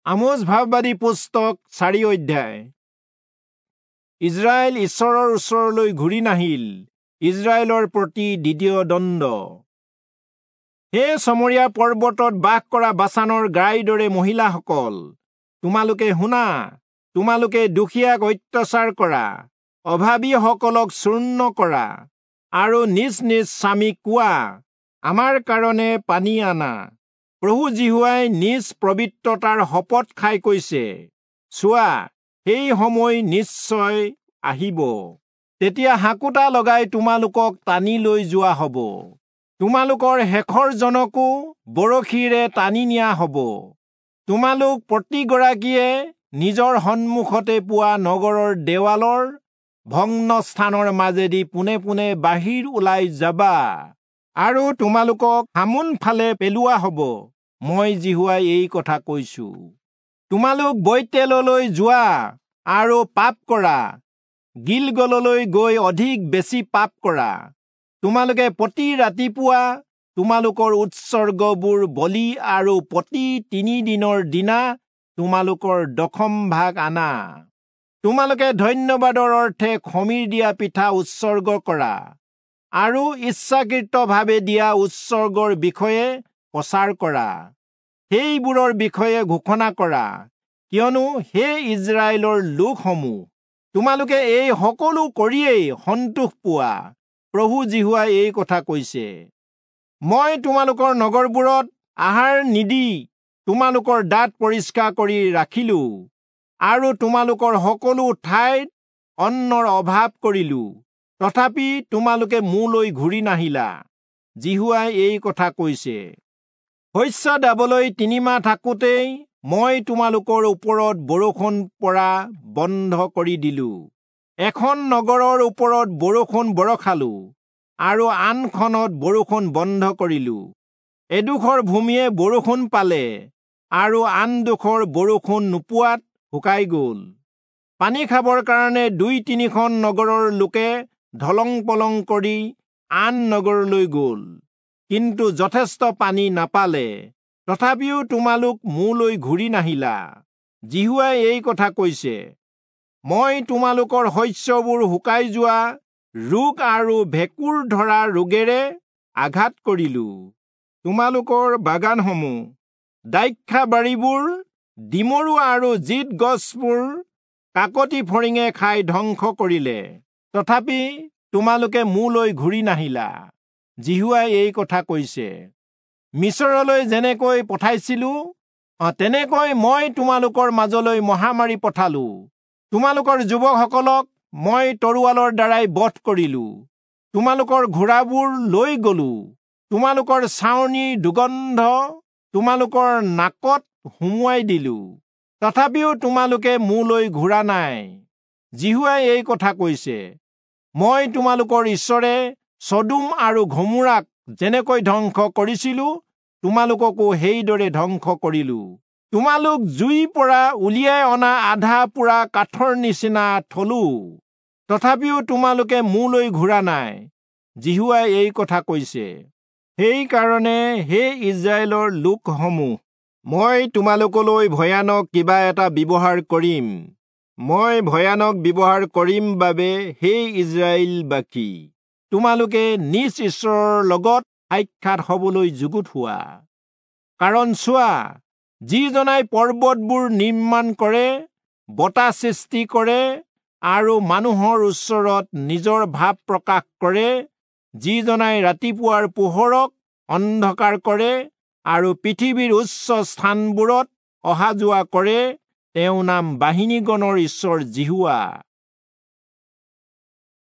আমোচ ভাববাদী পুস্তক 4 অধ্যায়। ইজৰাইল ঈশ্বৰৰ ওচৰলৈ ঘূৰি নাহিল, ইজৰাইলৰ প্ৰতি দ্বিতীয় দণ্ড। হে চমৰীয়া পৰ্বতত বাস কৰা বাচানৰ গাইৰ দৰে মহিলাসকল, তোমালোকে শুনা, তোমালোকে দুখীয়াক অত্যাচাৰ কৰা, অভাৱীসকলক চূৰ্ণ কৰা, আৰু নিজ নিজ স্বামীক কোৱা, আমাৰ কাৰণে পানী আনা। প্ৰভু যিহোৱাই নিজ পবিত্ৰতাৰ শপত খাই কৈছে, চোৱা, সেই সময় নিশ্চয় আহিব, তেতিয়া হাকোটা লগাই তোমালোকক টানি লৈ যোৱা হ'ব, তোমালোকৰ শেষৰ জনকো বৰশীৰে টানি নিয়া হ'ব। তোমালোক প্ৰতিগৰাকীয়ে নিজৰ সন্মুখতে পোৱা নগৰৰ দেৱালৰ ভগ্ন স্থানৰ মাজেদি পোনে পোনে বাহিৰ ওলাই যাবা, আৰু তোমালোকক হামোন ফালে পেলোৱা হ'ব। মই যিহোৱাই এই কথা কৈছো। তোমালোক বৈতেললৈ যোৱা আৰু পাপ কৰা, গিলগললৈ গৈ অধিক বেছি পাপ কৰা। তোমালোকে প্ৰতি ৰাতিপুৱা তোমালোকৰ উৎসৰ্গবোৰ বলি আৰু প্ৰতি 3 দিনৰ দিনা তোমালোকৰ দশম ভাগ আনা। তোমালোকে ধন্যবাদৰ অৰ্থে খমিৰ দিয়া পিঠা উৎসৰ্গ কৰা আৰু ইচ্ছাকৃতভাৱে দিয়া উৎসৰ্গৰ বিষয়ে প্ৰচাৰ কৰা, সেইবোৰৰ বিষয়ে ঘোষণা কৰা। কিয়নো হে ইজৰাইলৰ লোকসমূহ, তোমালোকে এই সকলো কৰিয়েই সন্তোষ পোৱা। প্ৰভু যিহোৱাই এই কথা কৈছে, মই তোমালোকৰ নগৰবোৰত আহাৰ নিদি তোমালোকৰ দাঁত পৰিষ্কাৰ কৰি ৰাখিলো, আৰু তোমালোকৰ সকলো ঠাইত অন্নৰ অভাৱ কৰিলো, তথাপি তোমালোকে মোলৈ ঘূৰি নাহিলা। যিহোৱাই এই কথা কৈছে। শস্য দাবলৈ 3 মাহ থাকোঁতেই মই তোমালোকৰ ওপৰত বৰষুণ পৰা বন্ধ কৰি দিলো। এখন নগৰৰ ওপৰত বৰষুণ বৰষালো আৰু আনখনত বৰষুণ বন্ধ কৰিলো। এডোখৰ ভূমিয়ে বৰষুণ পালে আৰু আনডোখৰ বৰষুণ নোপোৱাত শুকাই গ'ল। পানী খাবৰ কাৰণে 2-3খন নগৰৰ লোকে ঢলং পলং কৰি আন নগৰলৈ গ'ল, কিন্তু যথেষ্ট পানী নাপালে। তথাপিও তোমালোক মোলৈ ঘূৰি নাহিলা। যিহোৱাই এই কথা কৈছে, মই তোমালোকৰ শস্যবোৰ শুকাই যোৱা ৰোগ আৰু ভেঁকুৰ ধৰা ৰোগেৰে আঘাত কৰিলো। তোমালোকৰ বাগানসমূহ, দ্ৰাক্ষাবাৰীবোৰ, ডিমৰু আৰু জিত গছবোৰ কাকতি ফৰিঙে খাই ধ্বংস কৰিলে। তথাপি তোমালোকে মোলৈ ঘূৰি নাহিলা। যিহোৱাই এই কথা কৈছে। মিছৰলৈ যেনেকৈ পঠাইছিলো, তেনেকৈ মই তোমালোকৰ মাজলৈ মহামাৰী পঠালো। তোমালোকৰ যুৱকসকলক মই তৰোৱালৰ দ্বাৰাই বধ কৰিলো, তোমালোকৰ ঘোঁৰাবোৰ লৈ গলো, তোমালোকৰ ছাউনিৰ দুৰ্গন্ধ তোমালোকৰ নাকত সুমুৱাই দিলো, তথাপিও তোমালোকে মোলৈ ঘূৰা নাই। যিহোৱাই এই কথা কৈছে, মই তোমালোকৰ ঈশ্বৰে চদোম আৰু ঘমোৰাক যেনেকৈ ধ্বংস কৰিছিলো, তোমালোককো সেইদৰে ধ্বংস কৰিলো। তোমালোক জুইৰ পৰা উলিয়াই অনা আধা পোৰা কাঠৰ নিচিনা থলো, তথাপিও তোমালোকে মোলৈ ঘূৰা নাই। যিহোৱাই এই কথা কৈছে। সেইকাৰণে হে ইজৰাইলৰ লোকসমূহ, মই তোমালোকলৈ ভয়ানক কিবা এটা ব্যৱহাৰ কৰিম। মই ভয়ানক ব্যৱহাৰ কৰিম বাবে হে ইজৰাইলবাসী, তোমালোকে নিজ ঈশ্বৰৰ লগত সাক্ষাৎ হবলৈ যুগুত হোৱা। কাৰণ চোৱা, যিজনাই পৰ্বতবোৰ নিৰ্মাণ কৰে, বতাহ সৃষ্টি কৰে আৰু মানুহৰ ওচৰত নিজৰ ভাৱ প্ৰকাশ কৰে, যিজনাই ৰাতিপুৱাৰ পোহৰক অন্ধকাৰ কৰে আৰু পৃথিৱীৰ উচ্চ স্থানবোৰত অহা যোৱা কৰে, তেওঁ নাম বাহিনীগণৰ ঈশ্বৰ যিহোৱা।